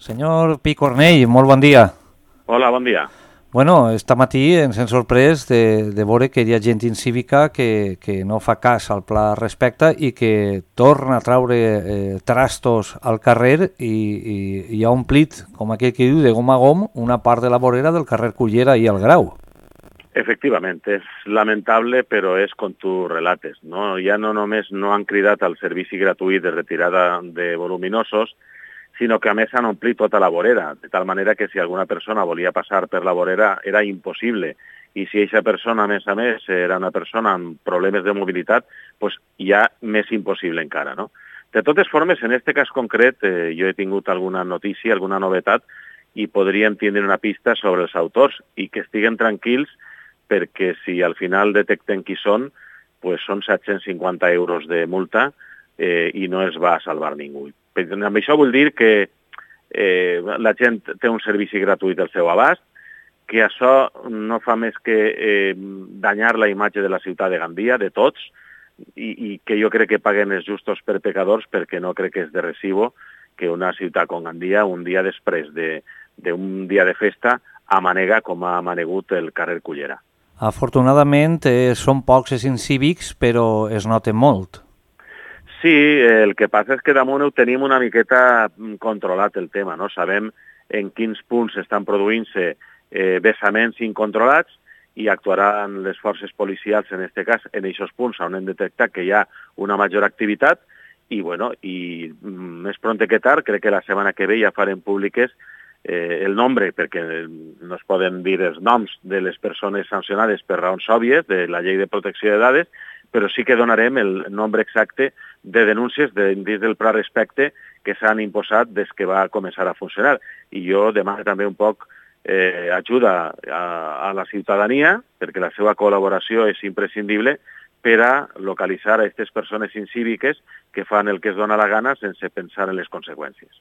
Senyor Picornell, molt bon dia. Hola, bon dia. Bueno, esta matí ens hem sorprès de veure que hi ha gent incívica que no fa cas al pla respecte i que torna a traure trastos al carrer i ha omplit, com aquell que diu, de gom a gom, una part de la vorera del carrer Cullera i el Grau. Efectivament, és lamentable, però és com tu relates, no? Ja no només no han cridat al servici gratuït de retirada de voluminosos, sinó que a més han omplit tota la vorera, de tal manera que si alguna persona volia passar per la vorera era impossible. I si aquesta persona, a més, era una persona amb problemes de mobilitat, doncs ja més impossible encara, no? De totes formes, en aquest cas concret, jo he tingut alguna notícia, alguna novetat, i podríem tindre una pista sobre els autors i que estiguen tranquils perquè si al final detecten qui són, doncs són 750 euros de multa i no es va salvar ningú. Amb això vull dir que la gent té un servici gratuït al seu abast, que això no fa més que danyar la imatge de la ciutat de Gandia, de tots, i que jo crec que paguen els justos per pecadors, perquè no crec que és de recibo que una ciutat com Gandia, un dia després d'un dia de festa, amanega com ha amanegut el carrer Cullera. Afortunadament són pocs els incívics, però es noten molt. Sí, el que passa és que damunt ho tenim una miqueta controlat el tema, no? Sabem en quins punts estan produint-se vessaments incontrolats i actuaran les forces policials, en aquest cas, en aquests punts on hem detectat que hi ha una major activitat i, bueno, i més pront que tard, crec que la setmana que ve ja farem públiques el nombre, perquè no es poden dir els noms de les persones sancionades per raons òbvies de la llei de protecció de dades, però sí que donarem el nombre exacte de denúncies dins del pla respecte que s'han imposat des que va començar a funcionar. I jo demano també un poc ajuda a la ciutadania, perquè la seva col·laboració és imprescindible per a localitzar a aquestes persones incíviques que fan el que es dona la gana sense pensar en les conseqüències.